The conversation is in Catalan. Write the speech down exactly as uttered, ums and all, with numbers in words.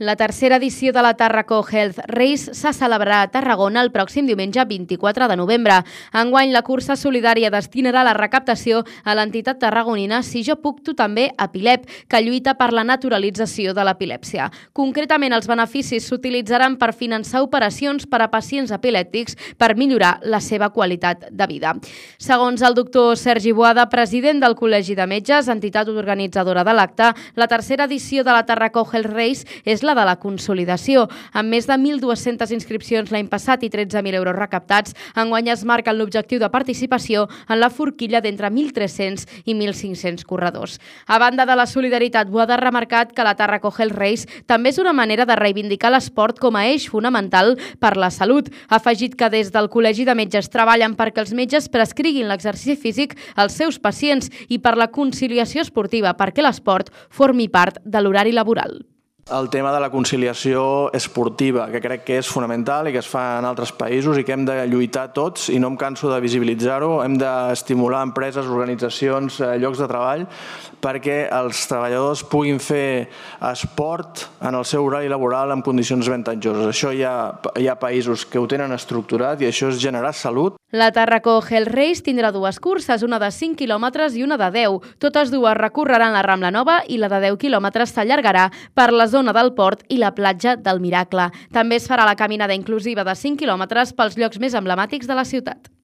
La tercera edició de la Tàrraco Health Race se celebrarà a Tarragona el pròxim diumenge vint-i-quatre de novembre. Enguany, la cursa solidària destinarà la recaptació a l'entitat tarragonina Si jo puc, tu també, Epilep, que lluita per la naturalització de l'epilèpsia. Concretament, els beneficis s'utilitzaran per finançar operacions per a pacients epilèptics per millorar la seva qualitat de vida. Segons el doctor Sergi Boada, president del Col·legi de Metges, entitat organitzadora de l'acte, la tercera edició de la Tàrraco Health Race és la de la consolidació. Amb més de mil dues-centes inscripcions l'any passat i tretze mil euros recaptats, enguany es marquen l'objectiu de participació en la forquilla d'entre mil tres-cents i mil cinc-cents corredors. A banda de la solidaritat, Boada ha remarcat que la Tàrraco Health Race també és una manera de reivindicar l'esport com a eix fonamental per la salut. Ha afegit que des del Col·legi de Metges treballen perquè els metges prescriguin l'exercici físic als seus pacients i per la conciliació esportiva, perquè l'esport formi part de l'horari laboral. El tema de la conciliació esportiva, que crec que és fonamental i que es fa en altres països i que hem de lluitar tots, i no em canso de visibilitzar-ho. Hem d'estimular empreses, organitzacions, llocs de treball, perquè els treballadors puguin fer esport en el seu horari laboral en condicions avantatjoses. Això hi ha, hi ha països que ho tenen estructurat i això és generar salut. La Tàrraco Health Race tindrà dues curses, una de cinc quilòmetres i una de deu. Totes dues recorreran la Rambla Nova i la de deu quilòmetres s'allargarà per la zona del port i la platja del Miracle. També es farà la caminada inclusiva de cinc quilòmetres pels llocs més emblemàtics de la ciutat.